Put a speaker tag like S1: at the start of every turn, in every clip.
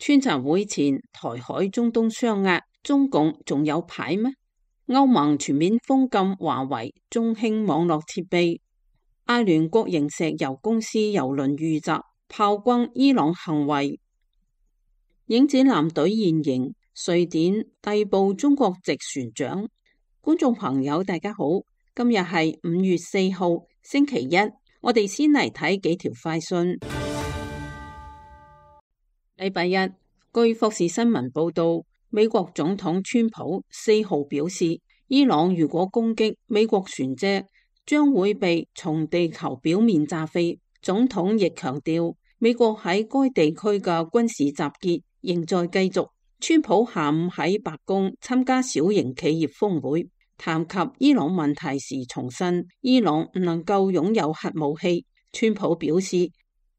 S1: 川習會前，台海中東雙壓，中共仲有牌咩？歐盟全面封禁華為、中興網絡設備。阿聯國營石油公司油輪遇襲，炮轟伊朗行為。影子艦隊現形，瑞典逮捕中國籍船長。觀眾朋友大家好，今日係5月4號星期一，我哋先嚟睇幾條快訊。禮拜一，據霍士新聞報道，美國總統川普4號表示，伊朗如果攻擊美國船隻，將會被從地球表面炸飛。總統亦強調，美國喺該地區嘅軍事集結仍在繼續。川普下午喺白宮參加小型企業峰會，談及伊朗問題時重申，伊朗唔能夠擁有核武器。川普表示，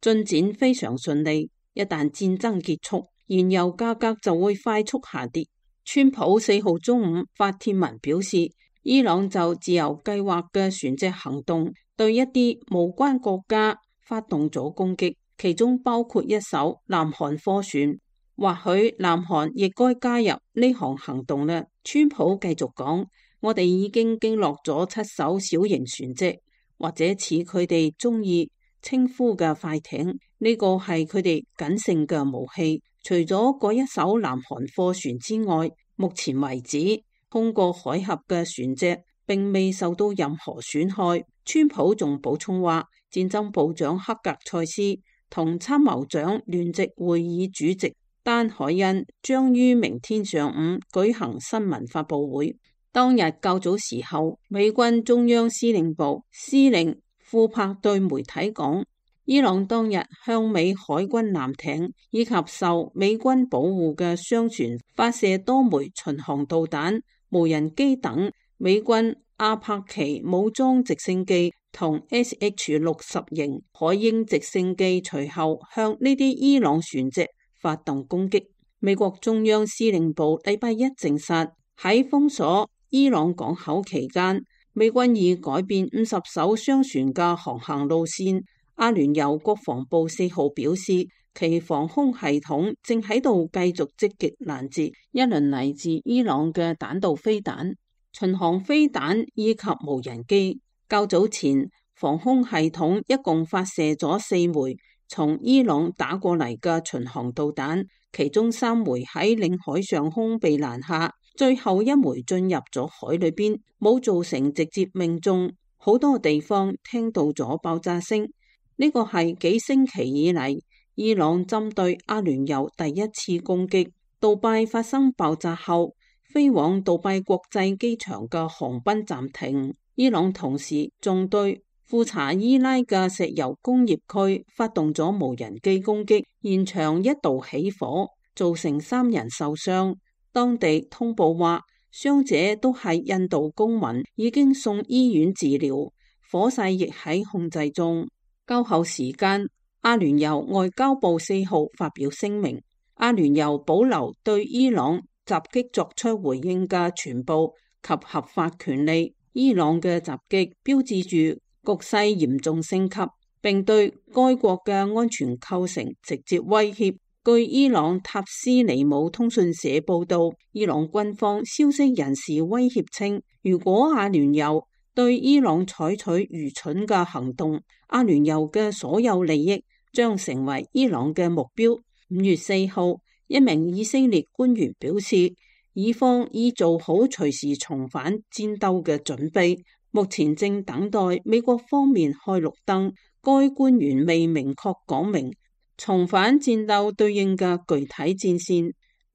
S1: 進展非常順利，一旦戰爭結束，燃油價格就會快速下跌。川普4號中午發帖文表示，伊朗就自由計劃嘅船隻行動對一啲無關國家發動咗攻擊，其中包括一艘南韓貨船。或許南韓亦該加入呢項行動啦。川普繼續講，我哋已經擊落咗7艘小型船隻，或者似佢哋中意稱呼嘅快艇，呢個係佢哋僅剩嘅武器。除咗嗰一艘南韓貨船之外，目前為止通過海峽嘅船隻並未受到任何損害。川普仲補充話，戰爭部長克格塞斯同參謀長聯席會議主席丹海恩將於明天上午舉行新聞發佈會。當日較早時候，美軍中央司令部司令庫珀對媒體講，伊朗當日向美海軍艦艇以及受美軍保護嘅商船發射多枚巡航導彈、無人機等美軍阿帕奇武裝直升機同 SH-60 型海鷹直升機，隨後向呢啲伊朗船隻發動攻擊。美國中央司令部禮拜一證實，喺封鎖伊朗港口期間，美軍已改變50艘商船嘅航行路線。阿聯酋國防部4號表示，其防空系統正喺度繼續積極攔截一輪嚟自伊朗嘅彈道飛彈、巡航飛彈以及無人機。較早前，防空系統一共發射咗4枚從伊朗打過嚟嘅巡航導彈，其中3枚喺領海上空被攔下，最後1枚進入咗海裏邊，冇造成直接命中。好多地方聽到咗爆炸聲。呢個係幾星期以嚟伊朗針對阿聯酋第一次攻擊。杜拜發生爆炸後，飛往杜拜國際機場嘅航班暫停。伊朗同時仲對庫查伊拉嘅石油工業區發動咗無人機攻擊，現場一度起火，造成3人受傷。當地通報話，傷者都係印度公民，已經送醫院治療，火勢亦喺控制中。較後時間，阿聯酋外交部4號發表聲明，阿聯酋保留對伊朗襲擊作出回應嘅全部及合法權利。伊朗嘅襲擊標誌住局勢嚴重升級，並對該國嘅安全構成直接威脅。據伊朗塔斯尼姆通訊社報道，伊朗軍方消息人士威脅稱，如果阿聯酋對伊朗採取愚蠢嘅行動，阿聯酋嘅所有利益將成為伊朗嘅目標。5月4號，一名以色列官員表示，以方已做好隨時重返戰鬥嘅準備，目前正等待美國方面開綠燈。該官員未明確講明重返戰鬥對應嘅具體戰線。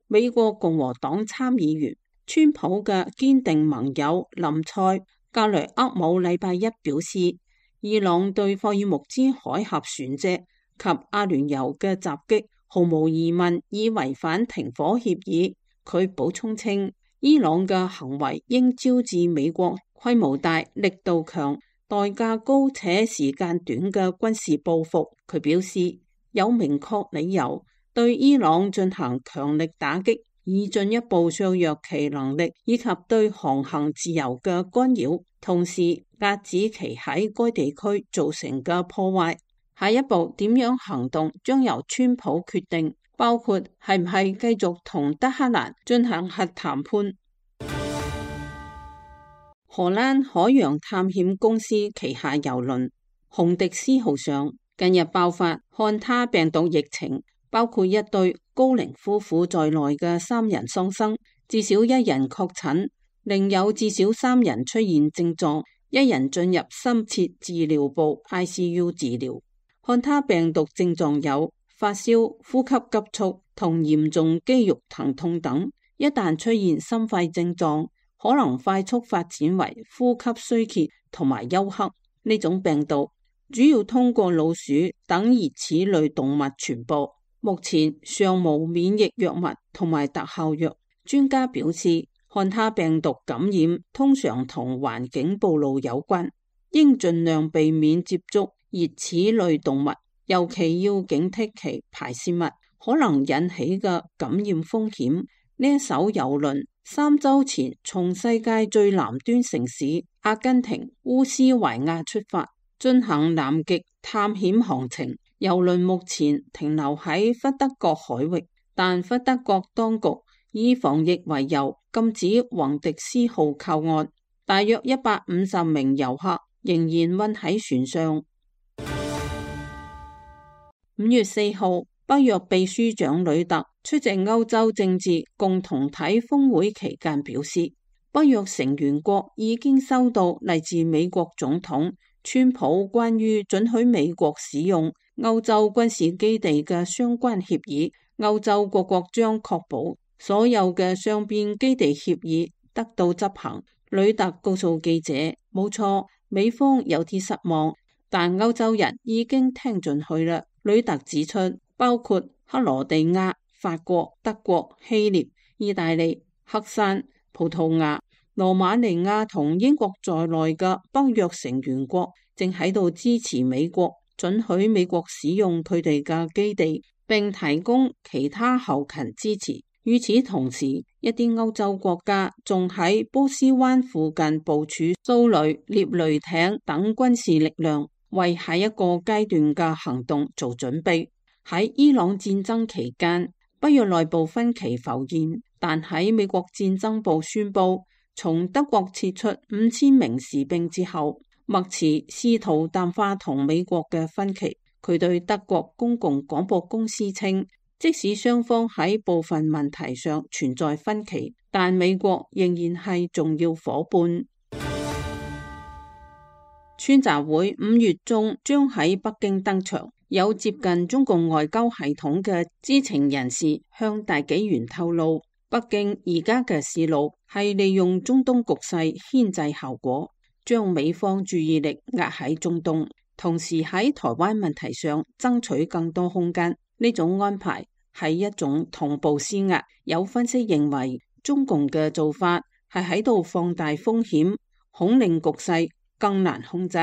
S1: 美國共和黨參議員川普嘅堅定盟友林賽格雷厄姆禮拜一表示，伊朗對霍爾木茲海峽船隻及阿聯酋嘅襲擊毫無疑問已違反停火協議。佢補充稱，伊朗嘅行為應招致美國規模大、力度強、代價高且時間短嘅軍事報復。佢表示，有明確理由對伊朗進行強力打擊，以進一步削弱其能力以及對航行自由嘅干擾，同時遏止其喺該地區造成嘅破壞。下一步點樣行動將由川普決定。包括係唔係繼續同德黑蘭進行核談判。荷蘭海洋探險公司旗下郵輪紅迪斯號上近日爆發漢他病毒疫情，包括一對高齡夫婦在內嘅3人喪生，至少1人確診，另有至少3人出現症狀，1人進入深切治療部 ICU 治療。漢他病毒症狀有發燒、呼吸急促同嚴重肌肉疼痛等，一旦出現心肺症狀，可能快速發展為呼吸衰竭同埋休克。呢種病毒主要通過老鼠等熱齒類動物傳播，目前尚無免疫藥物同埋特效藥。專家表示，漢他病毒感染通常同環境暴露有關，應盡量避免接觸熱齒類動物，尤其要警惕其排泄物可能引起嘅感染風險。呢一艘郵輪3週前從世界最南端城市阿根廷烏斯懷亞出發，進行南極探險航程。郵輪目前停留喺弗德角海域，但弗德角當局以防疫為由禁止宏迪斯號靠岸，大約150名遊客仍然困喺船上。5月4號，北約秘書長呂特出席歐洲政治共同體峰會期間表示，北約成員國已經收到嚟自美國總統川普關於准許美國使用歐洲軍事基地嘅相關協議，歐洲各國將確保所有嘅雙邊基地協議得到執行。呂特告訴記者，冇錯，美方有啲失望，但歐洲人已經聽進去啦。呂特指出，包括克羅地亞、法國、德國、希臘、意大利、黑山、葡萄牙、羅馬尼亞同英國在內嘅北約成員國正喺度支持美國，准許美國使用佢哋嘅基地，並提供其他後勤支持。與此同時，一啲歐洲國家仲喺波斯灣附近部署掃雷、獵雷艇等軍事力量，為下一個階段嘅行動做準備。喺伊朗戰爭期間，北約內部分歧浮現，但喺美國戰爭部宣布從德國撤出5000名士兵之後，默茨試圖淡化同美國嘅分歧。佢對德國公共廣播公司稱，即使雙方喺部分問題上存在分歧，但美國仍然係重要夥伴。川習會5月中將喺北京登場。有接近中共外交系統嘅知情人士向大紀元透露，北京而家嘅思路係利用中東局勢牽制效果，將美方注意力壓喺中東，同時喺台灣問題上爭取更多空間。呢種安排係一種同步施壓。有分析認為，中共嘅做法係喺度放大風險，恐令局勢更難控制。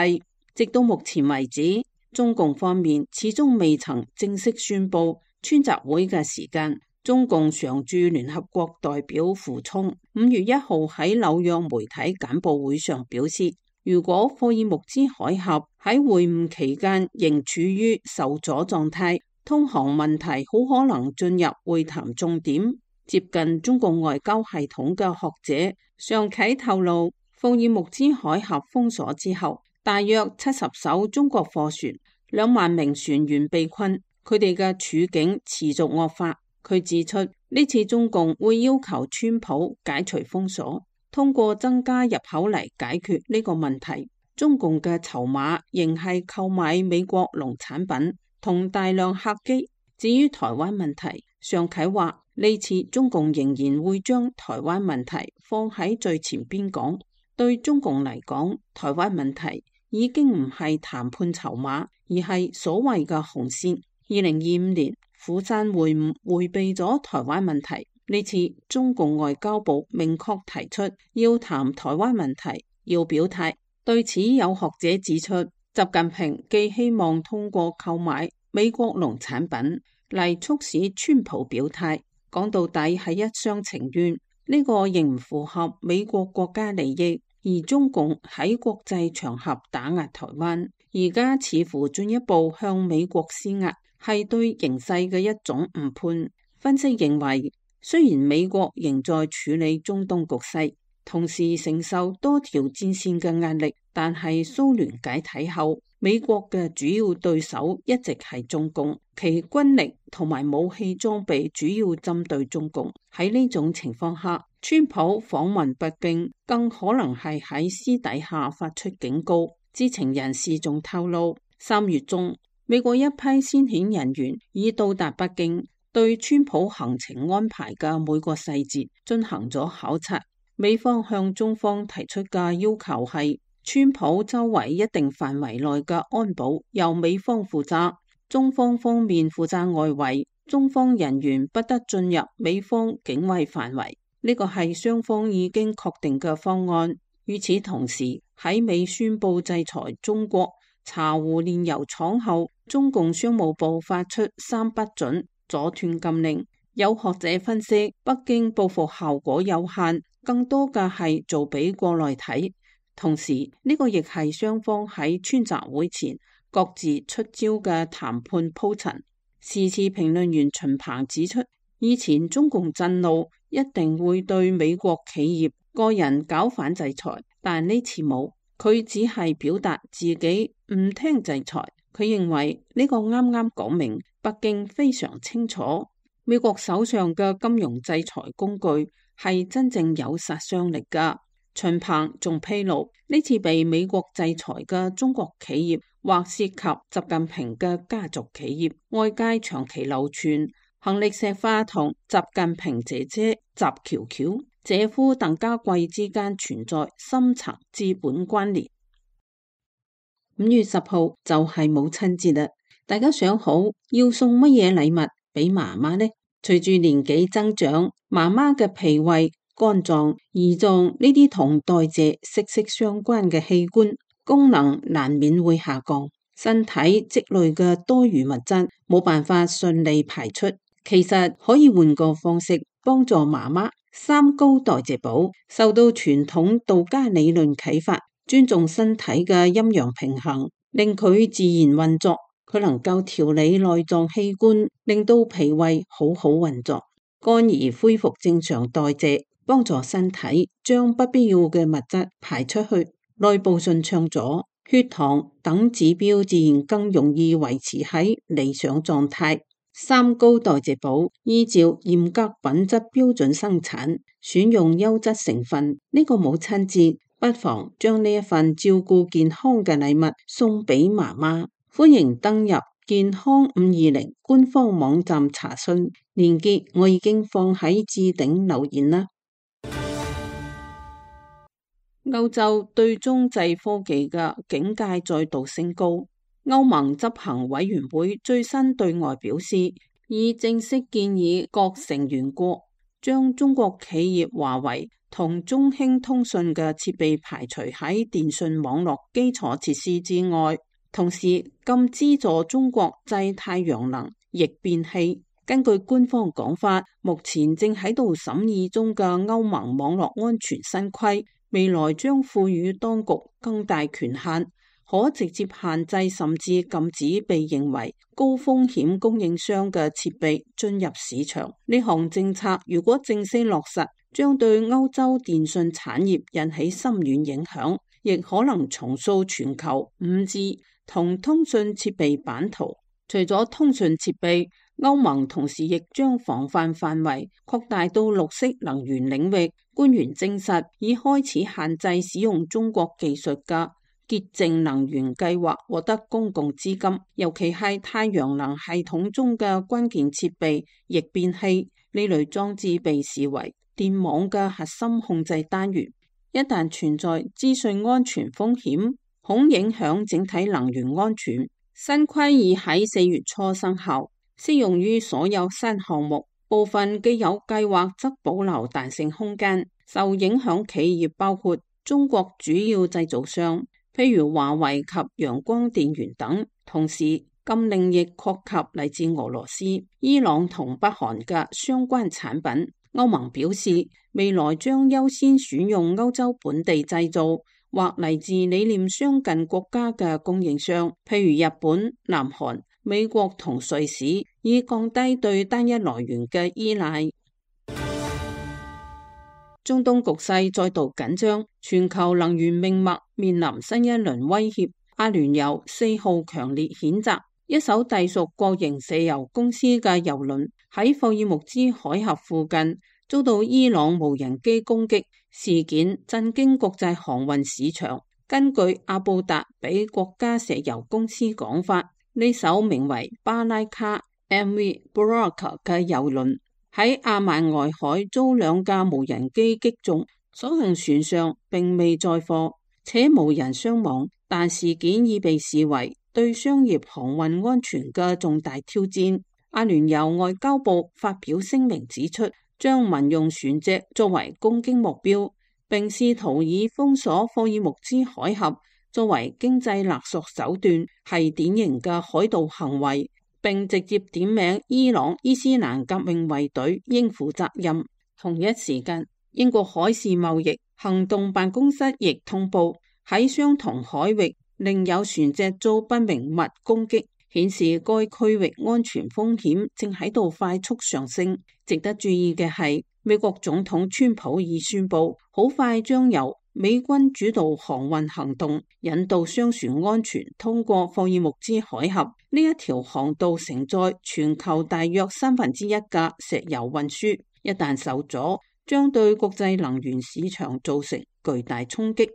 S1: 直到目前為止，中共方面始終未曾正式宣布川習會嘅時間。中共常駐聯合國代表傅聰5月1號喺紐約媒體簡報會上表示，如果霍爾木茲海峽喺會晤期間仍處於受阻狀態，通航問題好可能進入會談重點。接近中共外交系統嘅學者尚啟透露，霍爾木茲海峽封鎖之後，大約70艘中國貨船、2萬名船員被困，佢哋嘅處境持續惡化。佢指出，呢次中共會要求川普解除封鎖，通過增加入口嚟解決呢個問題。中共嘅籌碼仍係購買美國農產品同大量客機。至於台灣問題，尚啟話呢次中共仍然會將台灣問題放喺最前邊講。對中共嚟講，台灣問題已經唔係談判籌碼，而係所謂嘅紅線。2025年釜山會晤迴避咗台灣問題，呢次中共外交部明確提出要談台灣問題，要表態。對此有學者指出，習近平既希望通過購買美國農產品嚟促使川普表態，講到底係一廂情願，呢個仍唔符合美國國家利益。而中共喺國際場合打壓台灣，而家似乎進一步向美國施壓，係對形勢嘅一種誤判。分析認為，雖然美國仍在處理中東局勢，同時承受多條戰線嘅壓力，但係蘇聯解體後，美國嘅主要對手一直係中共，其軍力同埋武器裝備主要針對中共。喺呢種情況下，川普訪問北京更可能係喺私底下發出警告。知情人士仲透露，3月中，美國一批先遣人員已到達北京，對川普行程安排嘅每個細節進行咗考察。美方向中方提出嘅要求係，川普周圍一定範圍內嘅安保由美方負責，中方方面負責外圍，中方人員不得進入美方境衛範圍。呢個係雙方已經確定嘅方案。與此同時，喺美宣布制裁中國茶壺煉油廠後，中共商務部發出3不准阻斷禁令。有學者分析，北京報復效果有限，更多嘅係做俾國內睇。同時，呢個亦係雙方喺川習會前各自出招嘅談判鋪陳。時事評論員秦鵬指出，以前中共震怒一定會對美國企業個人搞反制裁，但呢次冇，佢只係表達自己唔聽制裁。佢認為呢個啱啱講明北京非常清楚，美國手上嘅金融制裁工具係真正有殺傷力㗎。秦鵬仲披露，呢次被美國制裁嘅中國企業或涉及習近平嘅家族企業，外界長期流傳行李石化同習近平姐姐習喬喬、姐夫鄧家貴之間存在深層資本關聯。5月10號就係母親節啦，大家想好要送乜嘢禮物俾媽媽呢？隨住年紀增長，媽媽嘅脾胃、肝臟、胰臟呢啲同代謝息息相關嘅器官功能難免會下降，身體積累嘅多餘物質冇辦法順利排出。其實可以換個方式幫助媽媽。3高代謝寶受到傳統道家理論啟發，尊重身體嘅陰陽平衡，令佢自然運作。佢能夠調理內臟器官，令到脾胃好好運作，肝兒恢復正常代謝，幫助身體將不必要嘅物質排出去，內部順暢咗，血糖等指標自然更容易維持喺理想狀態。3高代謝寶依照嚴格品質標準生產，選用優質成分。呢個母親節不妨將呢一份照顧健康嘅禮物送俾媽媽。歡迎登入健康520官方網站查詢，連結我已經放喺置頂留言啦。歐洲對中製科技嘅警戒再度升高。歐盟執行委員會最新對外表示，已正式建議各成員國將中國企業華為同中興通訊嘅設備排除喺電信網絡基礎設施之外，同時禁資助中國製太陽能逆變器。根據官方講法，目前正喺度審議中嘅歐盟網絡安全新規，未來將賦予當局更大權限，可直接限制甚至禁止被認為高風險供應商嘅設備進入市場。呢項政策如果正式落實，將對歐洲電信產業引起深遠影響，亦可能重塑全球 5G 同通訊設備版圖。除咗通訊設備，歐盟同時亦將防範範圍擴大到綠色能源領域。官員證實已開始限制使用中國技術嘅潔淨能源計劃獲得公共資金，尤其係太陽能系統中嘅關鍵設備逆變器。呢類裝置被視為電網嘅核心控制單元，一旦存在資訊安全風險，恐影響整體能源安全。新規已喺4月初生效，適用於所有新項目，部分既有計劃則保留彈性空間。受影響企業包括中國主要製造商，譬如華為及陽光電源等，同時禁令亦擴及嚟自俄羅斯、伊朗同北韓嘅相關產品。歐盟表示，未來將優先選用歐洲本地製造或嚟自理念相近國家嘅供應商，譬如日本、南韓、美國同瑞士，以降低對單一來源嘅依賴。中東局勢再度緊張，全球能源命脈面臨新一輪威脅。阿聯酋4號強烈譴責一艘隸屬國營石油公司嘅油輪喺霍爾木茲海峽附近遭到伊朗無人機攻擊，事件震驚國際航運市場。根據阿布達比國家石油公司講法，呢艘名為巴拉卡 MV Baraka 嘅油輪喺阿曼外海遭兩架無人機擊中，所幸船上並未載貨，且無人傷亡，但事件已被視為對商業航運安全嘅重大挑戰。阿聯酋外交部發表聲明指出，將民用船隻作為攻擊目標，並試圖以封鎖霍爾木茲海峽作為經濟勒索手段，係典型嘅海盜行為，並直接點名伊朗伊斯蘭革命衛隊應負責任。同一時間，英國海事貿易行動辦公室亦通報，喺相同海域另有船隻遭不明物攻擊，顯示該區域安全風險正喺度快速上升。值得注意嘅係，美國總統川普已宣布，好快將由美軍主導航運行動，引導商船安全通過霍爾木茲海峽。呢一條航道承載全球大約1/3嘅石油運輸，一旦受阻，將對國際能源市場造成巨大衝擊。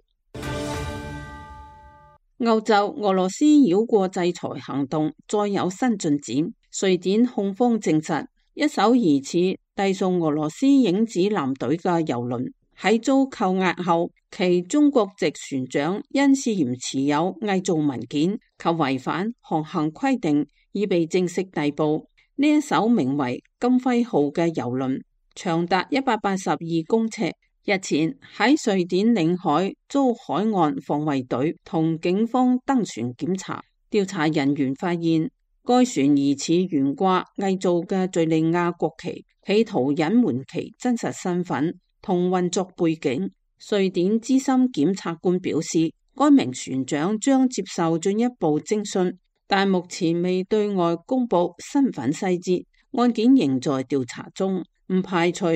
S1: 歐洲俄羅斯繞過制裁行動再有新進展，瑞典控方證實，一艘疑似隸屬俄羅斯影子艦隊嘅油輪喺遭扣押後，其中國籍船長因涉嫌持有偽造文件及違反航行規定，已被正式逮捕。呢一艘名為金輝號嘅油輪長達182公尺，日前喺瑞典領海遭海岸防衛隊同警方登船檢查，調查人員發現該船疑似懸掛偽造嘅敘利亞國旗，企圖隱瞞其真實身份同運作背景。瑞典資深檢察官表示，該名船長將接受進一步偵訊，但目前未對外公布身份細節，案件仍在調查中，唔排除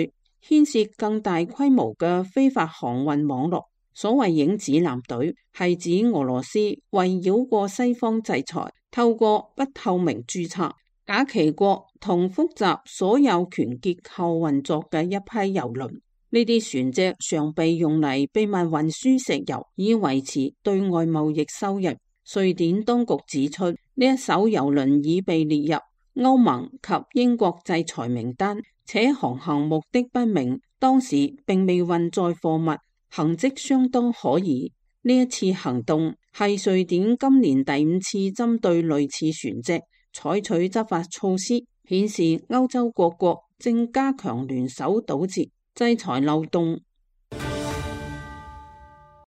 S1: 牽涉更大規模嘅非法航運網絡。所謂影子艦隊係指俄羅斯為繞過西方制裁，透過不透明註冊、假旗國同複雜所有權結構運作嘅一批油輪。呢啲船隻常被用嚟秘密運輸石油，以維持對外貿易收入。瑞典當局指出，呢一艘油輪已被列入歐盟及英國制裁名單，且航行目的不明，當時並未運載貨物，行跡相當可疑。呢一次行動係瑞典今年第5次針對類似船隻採取執法措施，顯示歐洲各國正加強聯手堵截制裁漏洞。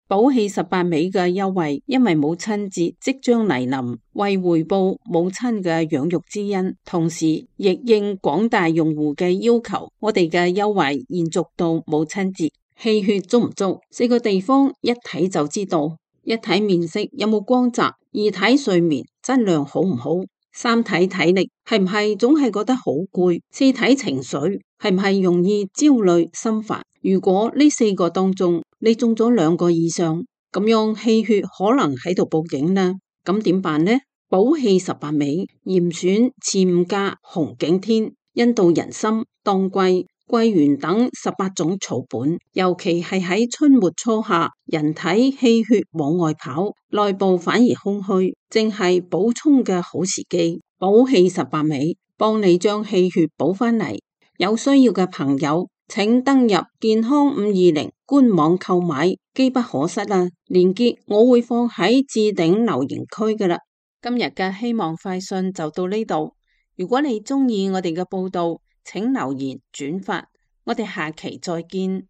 S1: 寶氣18尾嘅優惠，因為母親節即將嚟臨，為回報母親嘅養育之恩，同時亦應廣大用戶嘅要求，我哋嘅優惠延續到母親節。氣血足唔足？4個地方一睇就知道：一睇面色有冇光澤，二睇睡眠質量好唔好，三睇體力係唔係總係覺得好攰，四睇情緒係唔係容易焦慮心煩。如果呢4個當中你中咗2個以上，咁樣氣血可能喺度報警啦。咁點辦呢？寶氣18尾，嚴選次午加紅景天、印度人參、當歸、桂圓等18種草本，尤其係喺春末初夏，人體氣血往外跑，內部反而空虛，正係補充嘅好時機。寶氣18尾，幫你將氣血補返嚟。有需要嘅朋友，請登入健康520官網購買，機不可失啊！鏈接我會放喺置頂留言區㗎喇。今日嘅希望快訊就到呢度。如果你鍾意我哋嘅報道，請留言轉發。我哋下期再見。